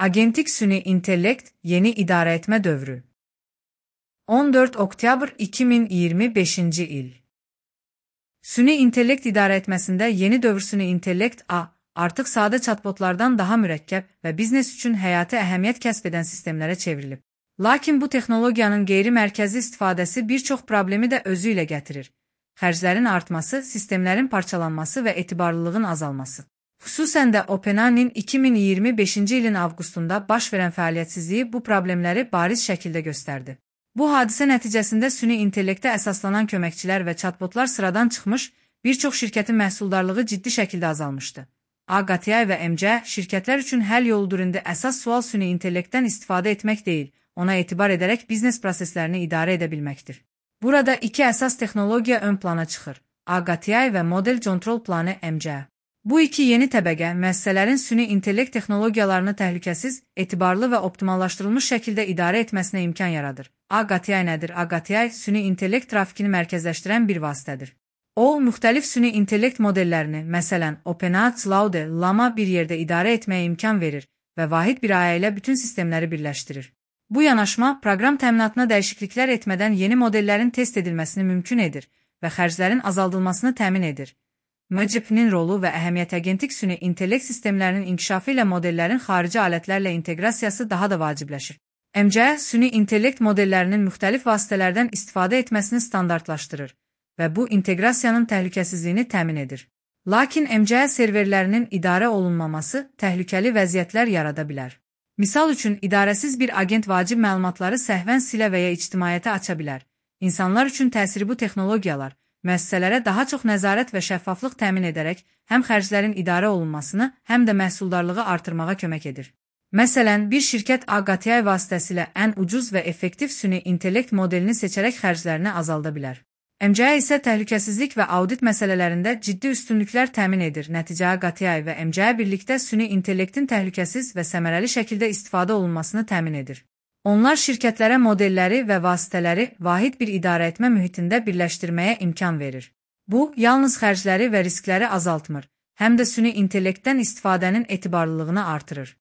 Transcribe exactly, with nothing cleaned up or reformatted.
Agentik süni intellekt, yeni idare etme dövrü. on dört oktyabr iki min iyirmi beşinci il. Süni intellekt idare etmesinde yeni dövr süni intellekt A, artıq sadə chatbotlardan daha mürəkkəb və biznes üçün həyati əhəmiyyət kəsb edən sistemlərə çevrilib. Lakin bu texnologiyanın qeyri-mərkəzi istifadəsi bir çox problemi də özü ilə gətirir. Xərclərin artması, sistemlərin parçalanması və etibarlılığın azalması. Xüsusən də OpenAI'nin iki min iyirmi beşinci ilin avqustunda baş verən fəaliyyətsizliyi bu problemləri bariz şəkildə göstərdi. Bu hadisə nəticəsində süni intellektə əsaslanan köməkçilər və chatbotlar sıradan çıxmış, bir çox şirkətin məhsuldarlığı ciddi şəkildə azalmışdı. AGATI və M C şirkətlər üçün həll yoludur indi əsas sual süni intellektdən istifadə etmək deyil, ona etibar edərək biznes proseslərini idarə edə bilməkdir. Burada iki əsas texnologiya ön plana çıxır: AGATI və Model Control Planı M C. Bu iki yeni təbəqə müəssisələrin süni intellekt texnologiyalarını təhlükəsiz, etibarlı və optimallaşdırılmış şəkildə idarə etməsinə imkan yaradır. AGATI nədir? AGATI süni intellekt trafikini mərkəzləşdirən bir vasitədir. O, müxtəlif süni intellekt modellərini, məsələn, OpenAI, Claude, Llama bir yerdə idarə etməyə imkan verir və vahid bir ayə ilə bütün sistemləri birləşdirir. Bu yanaşma, proqram təminatına dəyişikliklər etmədən yeni modellərin test edilməsini mümkün edir və xərclərin azaldılmasını təmin edir. M C P-nin rolu və əhəmiyyət agentik süni intellekt sistemlərinin inkişafı ilə modellərin xarici alətlərlə inteqrasiyası daha da vacibləşir. M C süni intellekt modellərinin müxtəlif vasitələrdən istifadə etməsini standartlaşdırır və bu inteqrasiyanın təhlükəsizliyini təmin edir. Lakin M C serverlərinin idarə olunmaması təhlükəli vəziyyətlər yarada bilər. Misal üçün, idarəsiz bir agent vacib məlumatları səhvən silə və ya ictimaiyyətə aça bilər. İnsanlar üçün təsiri bu texnologiyalar, müəssisələrə daha çox nəzarət və şəffaflıq təmin edərək həm xərclərin idarə olunmasını, həm də məhsuldarlığı artırmağa kömək edir. Məsələn, bir şirkət AGATI vasitəsilə ən ucuz və effektiv süni intellekt modelini seçərək xərclərini azalda bilər. M C isə təhlükəsizlik və audit məsələlərində ciddi üstünlüklər təmin edir. Nəticə AGATI və M C birlikdə süni intellektin təhlükəsiz və səmərəli şəkildə istifadə olunmasını təmin edir. Onlar şirkətlərə modelləri və vasitələri vahid bir idarə etmə mühitində birləşdirməyə imkan verir. Bu, yalnız xərcləri və riskləri azaltmır, həm də süni intellektdən istifadənin etibarlılığını artırır.